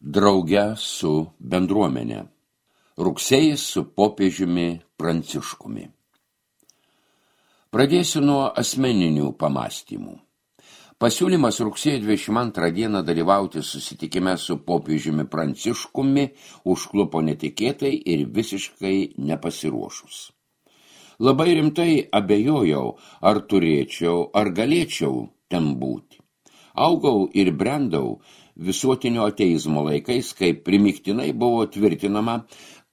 Drauge su bendruomenė. Rugsėjis su popiežiumi Pranciškumi. Pradėsiu nuo asmeninių pamąstymų. Pasiūlymas rugsėjo 22 dieną dalyvauti susitikime su popiežiumi Pranciškumi užklupo netikėtai ir visiškai nepasiruošus. Labai rimtai abejojau, ar turėčiau, ar galėčiau ten būti. Augau ir brendau visuotinio ateizmo laikais, kai primiktinai buvo tvirtinama,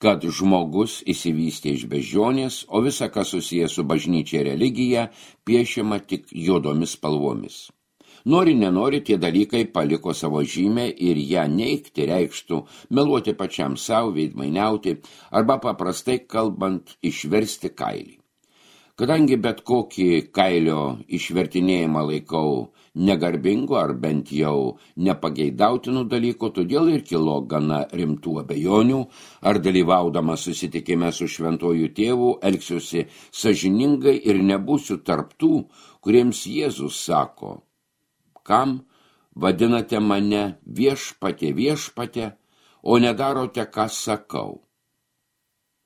kad žmogus išsivystė iš beždžionės, o visa, kas susiję su bažnyčia ir religija, piešiama tik juodomis spalvomis. Nori, nenori, tie dalykai paliko savo žymę ir ją neigti reikštų meluoti pačiam savo, veidmainiauti arba paprastai kalbant išversti kailį. Kadangi bet kokį kailio išvertinėjimą laikau negarbingu ar bent jau nepageidautinų dalykų, todėl ir kilo gana rimtų abejonių, ar dalyvaudama susitikime su šventuoju tėvu elgsiuosi sąžiningai ir nebūsiu tarptų, kuriems Jėzus sako: kam vadinate mane viešpatie, o nedarote, ką sakau.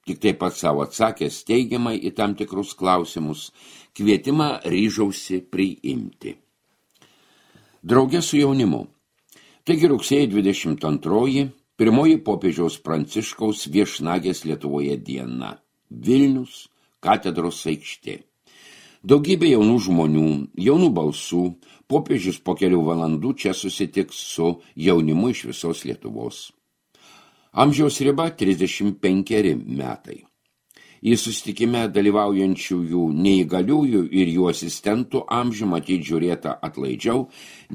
Tik taip pat savo atsakęs teigiamai į tam tikrus klausimus, kvietimą ryžausi priimti. Drauge su jaunimu. Taigi rugsėjo 22, pirmoji popiežiaus Pranciškaus viešnagės Lietuvoje diena. Vilnius, katedros aikštė. Daugybė jaunų žmonių, jaunų balsų, popiežius po kelių valandų čia susitiks su jaunimu iš visos Lietuvos. Amžiaus riba 35 metai. Į susitikime dalyvaujančiųjų neįgaliųjų ir jų asistentų amžių matyt žiūrėta atlaidžiau,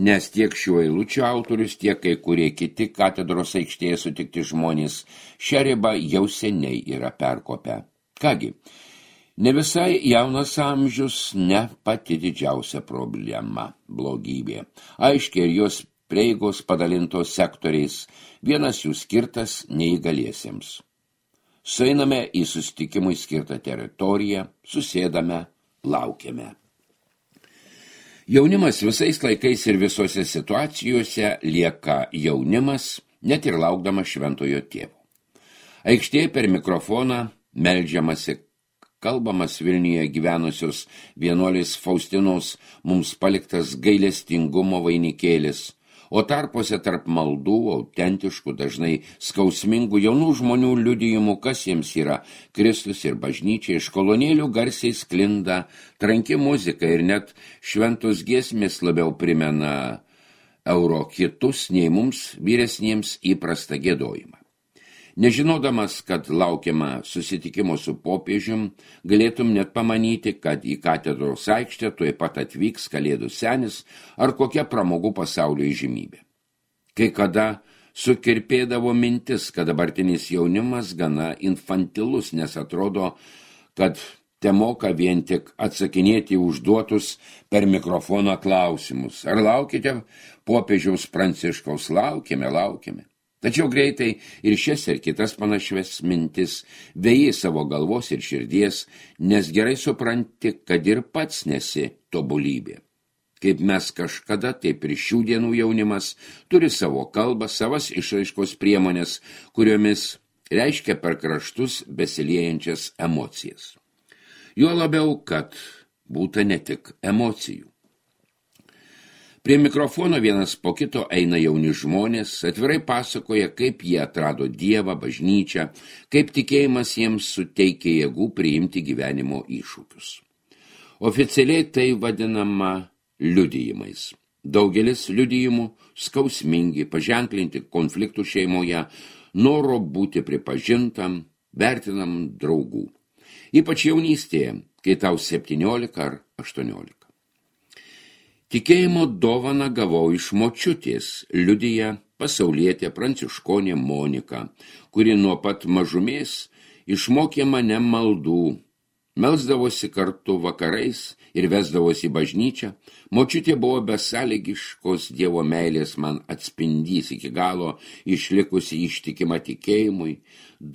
nes tiek šiuo eilučių autorius, tiek kai kurie kiti katedros aikštėje sutikti žmonės šią ribą jau seniai yra perkopę. Kągi, ne visai jaunas amžius, ne pati didžiausia problema, blogybė. Aiškiai, ir jos prieigos padalintos sektoriais, vienas jų skirtas neįgaliesiems. Sueiname į susitikimui skirtą teritoriją, susėdame, laukiame. Jaunimas visais laikais ir visose situacijose lieka jaunimas, net ir laukdamas šventojo tėvo. Aikštėje per mikrofoną meldžiamasi, kalbamas Vilniuje gyvenusios vienuolės Faustinos mums paliktas gailestingumo vainikėlis, o tarpuose tarp maldų, autentiškų, dažnai skausmingų jaunų žmonių liudijimų, kas jiems yra Kristus ir bažnyčia, iš kolonėlių garsiai sklinda tranki muzika ir net šventos giesmės labiau primena eurokitus nei mums vyresniems įprastą giedojimą. Nežinodamas, kad laukiama susitikimo su popiežium, galėtum net pamanyti, kad į katedros aikštę tuoj pat atvyks Kalėdų senis ar kokia pramogų pasaulio įžymybė. Kai kada sukirpėdavo mintis, kad dabartinis jaunimas gana infantilus, nes atrodo, kad temoka vien tik atsakinėti užduotus per mikrofoną klausimus. Ar laukite popiežiaus Pranciškaus? Laukiame. Tačiau greitai ir šias ir kitas panašias mintis vėjai savo galvos ir širdies, nes gerai supranti, kad ir pats nesi tobulybė. Kaip mes kažkada, taip ir šių dienų jaunimas turi savo kalbą, savas išraiškos priemonės, kuriomis reiškia per kraštus besiliejančias emocijas. Juo labiau, kad būta ne tik emocijų. Prie mikrofono vienas po kito eina jauni žmonės, atvirai pasakoja, kaip jie atrado Dievą, bažnyčią, kaip tikėjimas jiems suteikia jėgų priimti gyvenimo iššūkius. Oficialiai tai vadinama liudijimais. Daugelis liudijimų skausmingi, paženklinti konfliktų šeimoje, noro būti pripažintam, vertinam draugų. Ypač jaunystėje, kai tau 17 ar 18. Tikėjimo dovaną gavau iš močiutės, liudija pasaulietė pranciškonė Monika, kuri nuo pat mažumės išmokė mane maldų, melsdavosi kartu vakarais ir vesdavosi į bažnyčią. Močiutė buvo besąlygiškos Dievo meilės man atspindys, iki galo išlikusi ištikima tikėjimui,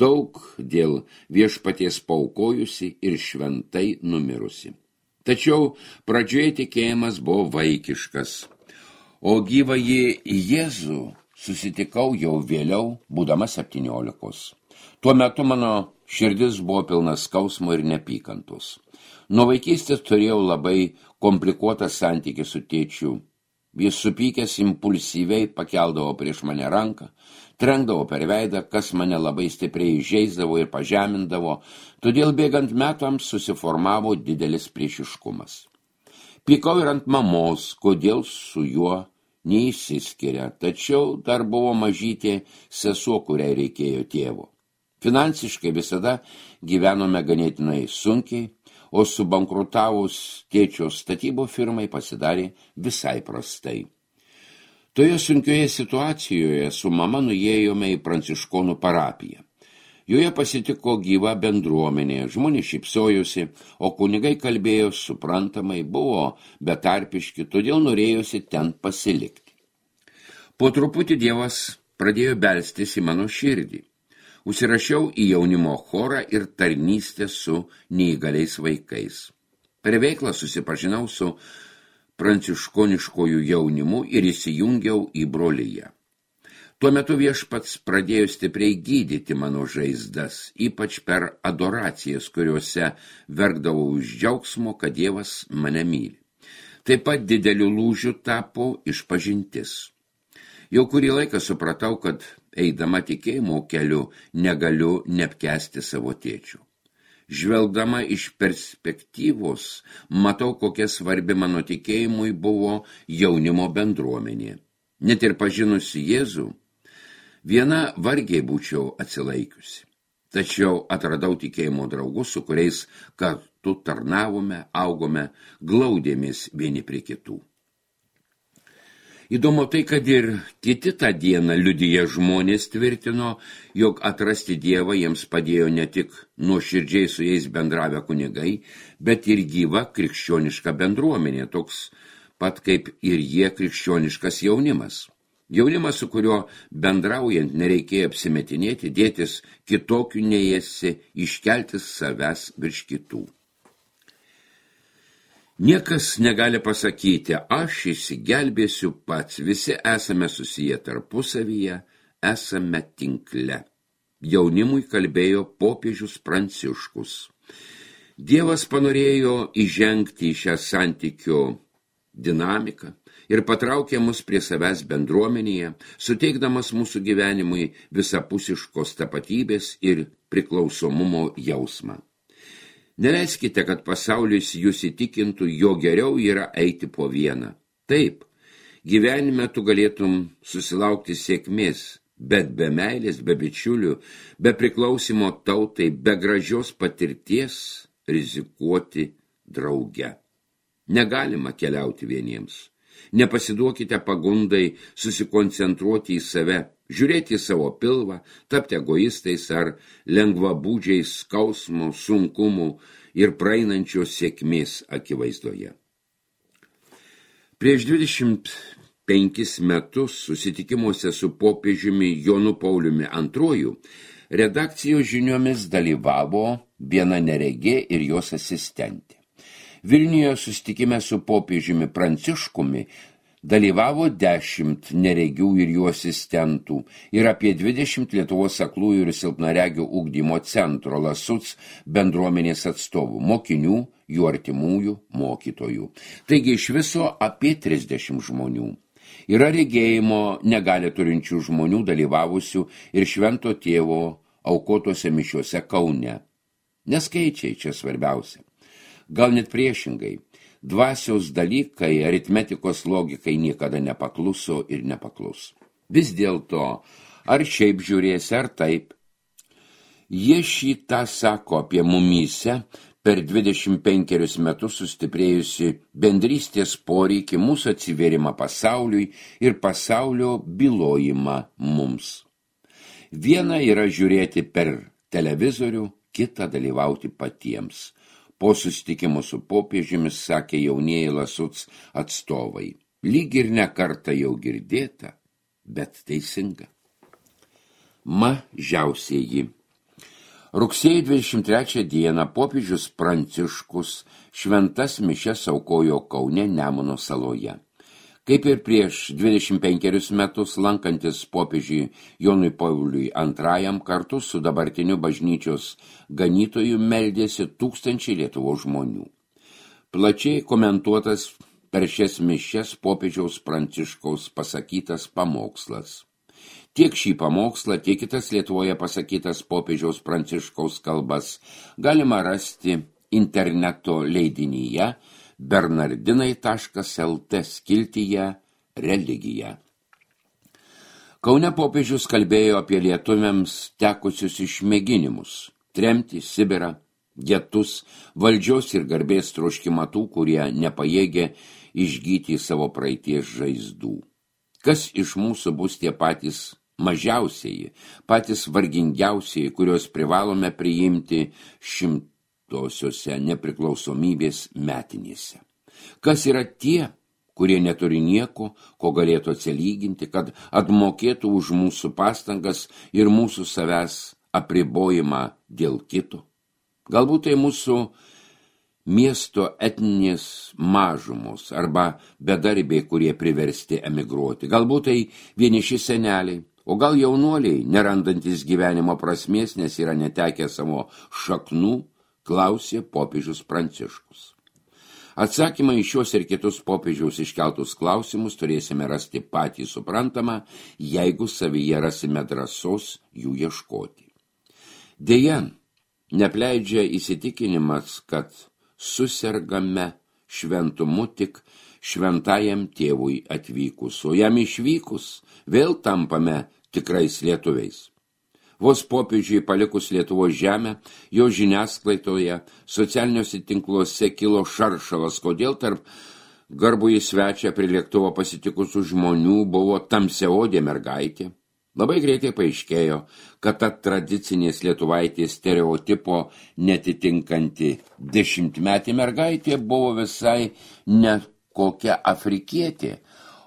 daug dėl Viešpaties paaukojusi ir šventai numirusi. Tačiau pradžioje tikėjimas buvo vaikiškas, o gyvąjį Jėzų susitikau jau vėliau, būdama 17. Tuo metu mano širdis buvo pilna skausmo ir nepykantos. Nuo vaikystės turėjau labai komplikuotą santykį su tėčiu. Jis supykęs impulsyviai pakeldavo prieš mane ranką, trenkdavo per veidą, kas mane labai stipriai įžeisdavo ir pažemindavo, todėl bėgant metams susiformavo didelis priešiškumas. Pykau ir ant mamos, kodėl su juo neįsiskiria, tačiau dar buvo mažytė sesuo, kuriai reikėjo tėvo. Finansiškai visada gyvenome ganėtinai sunkiai, o subankrutavus tėčio statybų firmai pasidarė visai prastai. Toje sunkioje situacijoje su mama nuėjome į pranciškonų parapiją. Joje pasitiko gyva bendruomenė, žmonės šypsojosi, o kunigai kalbėjo suprantamai, buvo betarpiški, todėl norėjosi ten pasilikti. Po truputį Dievas pradėjo belstis į mano širdį. Užsirašiau į jaunimo chorą ir tarnystę su neįgaliais vaikais. Per veiklą susipažinau su pranciškoniškojų jaunimu ir įsijungiau į broliją. Tuo metu Viešpats pradėjo stipriai gydyti mano žaizdas, ypač per adoracijas, kuriuose verkdavau iš džiaugsmo, kad Dievas mane myli. Taip pat dideliu lūžiu tapo išpažintis. Jau kurį laiką supratau, kad eidama tikėjimo keliu negaliu neapkęsti savo tėčių. Žvelgdama iš perspektyvos, matau, kokia svarbi mano tikėjimui buvo jaunimo bendruomenė. Net ir pažinusi Jėzų, viena vargiai būčiau atsilaikiusi. Tačiau atradau tikėjimo draugus, su kuriais kartu tarnavome, augome, glaudėmės vieni prie kitų. Įdomu tai, kad ir kiti tą dieną liudiję žmonės tvirtino, jog atrasti Dievą jiems padėjo ne tik nuoširdžiai su jais bendravę kunigai, bet ir gyva krikščioniška bendruomenė, toks pat kaip ir jie krikščioniškas jaunimas. Jaunimas, su kuriuo bendraujant nereikėjo apsimetinėti, dėtis kitokių nei esi, iškelti savęs virš kitų. Niekas negali pasakyti, aš išsigelbėsiu pats, visi esame susiję tarpusavyje, esame tinkle. Jaunimui kalbėjo popiežius Pranciškus. Dievas panorėjo įžengti į šią santykio dinamiką ir patraukė mus prie savęs bendruomenėje, suteikdamas mūsų gyvenimui visapusiškos tapatybės ir priklausomumo jausmą. Neleiskite, kad pasaulis jūs įtikintų, jo geriau yra eiti po vieną. Taip, gyvenime tu galėtum susilaukti sėkmės, bet be meilės, be bičiulių, be priklausimo tautai, be gražios patirties rizikuoti drauge. Negalima keliauti vieniems. Nepasiduokite pagundai susikoncentruoti į save, žiūrėti į savo pilvą, tapti egoistais ar lengvabūdžiais skausmo, sunkumų ir praeinančios sėkmės akivaizdoje. Prieš 25 metus susitikimuose su popiežiumi Jonu Pauliumi II redakcijos žiniomis dalyvavo viena neregė ir jos asistentė. Vilniuje susitikime su popiežiumi Pranciškumi dalyvavo 10 neregių ir jų asistentų ir apie 20 Lietuvos aklųjų ir silpnaregių ugdymo centro Lasuc bendruomenės atstovų, mokinių, jų artimųjų, mokytojų. Taigi iš viso apie 30 žmonių. Yra regėjimo negali turinčių žmonių dalyvavusių ir Švento Tėvo aukotose mišiuose Kaune. Neskaičiai čia svarbiausia. Gal net priešingai. Dvasios dalykai, aritmetikos logikai niekada nepakluso ir nepaklus. Vis dėlto, ar šiaip žiūrėsi, ar taip. Jie šitą sako apie mumyse per 25 metus sustiprėjusi bendrystės poreikį, mūsų atsivėrimą pasauliui ir pasaulio bylojimą mums. Viena yra žiūrėti per televizorių, kita dalyvauti patiems. Po susitikimo su popiežimis sakė jaunieji Lasuc atstovai. Lyg ir ne kartą jau girdėta, bet teisinga. Mažiausieji. Rugsėjo 23 dieną popiežius Pranciškus šventas mišias aukojo Kaune Nemuno saloje. Kaip ir prieš 25 metus lankantis popiežiui Jonui Pauliui II kartu su dabartiniu bažnyčios ganytoju meldėsi tūkstančiai Lietuvos žmonių. Plačiai komentuotas per šias mišias popiežiaus Pranciškaus pasakytas pamokslas. Tiek šį pamokslą, tiek kitas Lietuvoje pasakytas popiežiaus Pranciškaus kalbas galima rasti interneto leidinyje bernardinai.lt skiltyje Religija. Kaune popiežius kalbėjo apie lietuviams tekusius išmėginimus, tremtį, Sibirą, getus, valdžios ir garbės troškimą tų, kurie nepajėgė išgyti savo praeities žaizdų. Kas iš mūsų bus tie patys mažiausieji, patys vargingiausieji, kurios privalome priimti 100-osiose nepriklausomybės metinėse? Kas yra tie, kurie neturi nieko, ko galėtų atsilyginti, kad atmokėtų už mūsų pastangas ir mūsų savęs apribojimą dėl kito? Galbūt tai mūsų miesto etninės mažumos arba bedarbiai, kurie priversti emigruoti. Galbūt tai vieniši seneliai, o gal jaunuoliai, nerandantis gyvenimo prasmės, nes yra netekę savo šaknų, klausė popiežius Pranciškus. Atsakymą į šios ir kitus popiežiaus iškeltus klausimus turėsime rasti patį suprantamą, jeigu savyje rasime drąsos jų ieškoti. Deja, nepleidžia įsitikinimas, kad susergame šventumu tik šventajam tėvui atvykus, o jam išvykus vėl tampame tikrais lietuviais. Vos popiežiui palikus Lietuvos žemę, jo žiniasklaidoje, socialiniuose tinkluose kilo šaršalas, kodėl tarp garbųjį svečią prie lėktuvo pasitikusių žmonių buvo tamsiaodė mergaitė. Labai greitai paaiškėjo, kad ta tradicinės lietuvaitės stereotipo netitinkanti 10-metė mergaitė buvo visai ne kokia afrikietė,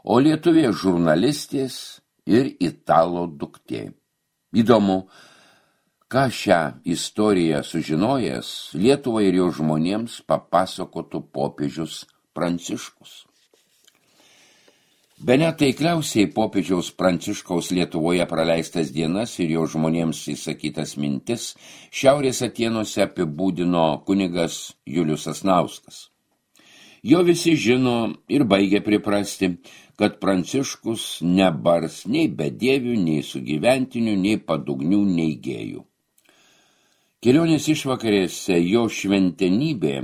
o lietuvė žurnalistės ir italo duktė. Įdomu, ką šią istoriją sužinojęs Lietuvai ir jo žmonėms papasakotų popiežius Pranciškus. Bene taikliausiai popiežiaus Pranciškaus Lietuvoje praleistas dienas ir jo žmonėms įsakytas mintis Šiaurės Atėnuose apibūdino kunigas Julius Sasnauskas. Jo visi žino ir baigia priprasti, kad Pranciškus nebars nei bedievių, nei sugyventinių, nei padugnių, nei gėjų. Kelionės išvakarėse jo šventenybė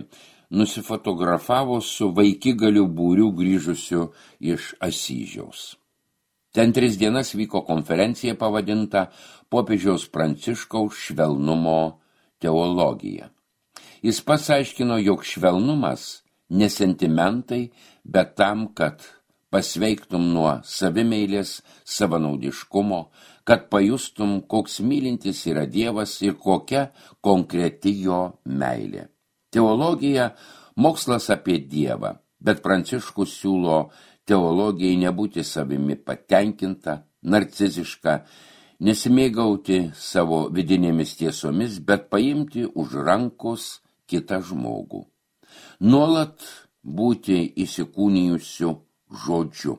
nusifotografavo su vaikigalių būriu grįžusiu iš Asyžiaus. Ten 3 dienas vyko konferencija pavadinta popiežiaus Pranciškaus švelnumo teologija. Jis pats aiškino, jog švelnumas ne sentimentai, bet tam, kad pasveiktum nuo savimeilės, savanaudiškumo, kad pajustum, koks mylintis yra Dievas ir kokia konkreti jo meilė. Teologija – mokslas apie Dievą, bet Pranciškus siūlo teologijai nebūti savimi patenkinta, narciziška, nesimėgauti savo vidinėmis tiesomis, bet paimti už rankos kitą žmogų. Nuolat būti įsikūnijusiu žodžiu.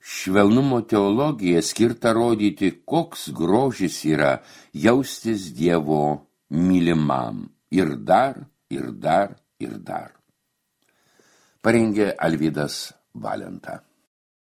Švelnumo teologija skirta rodyti, koks grožis yra jaustis Dievo mylimam. Ir dar, ir dar, ir dar. Parengė Alvydas Valenta.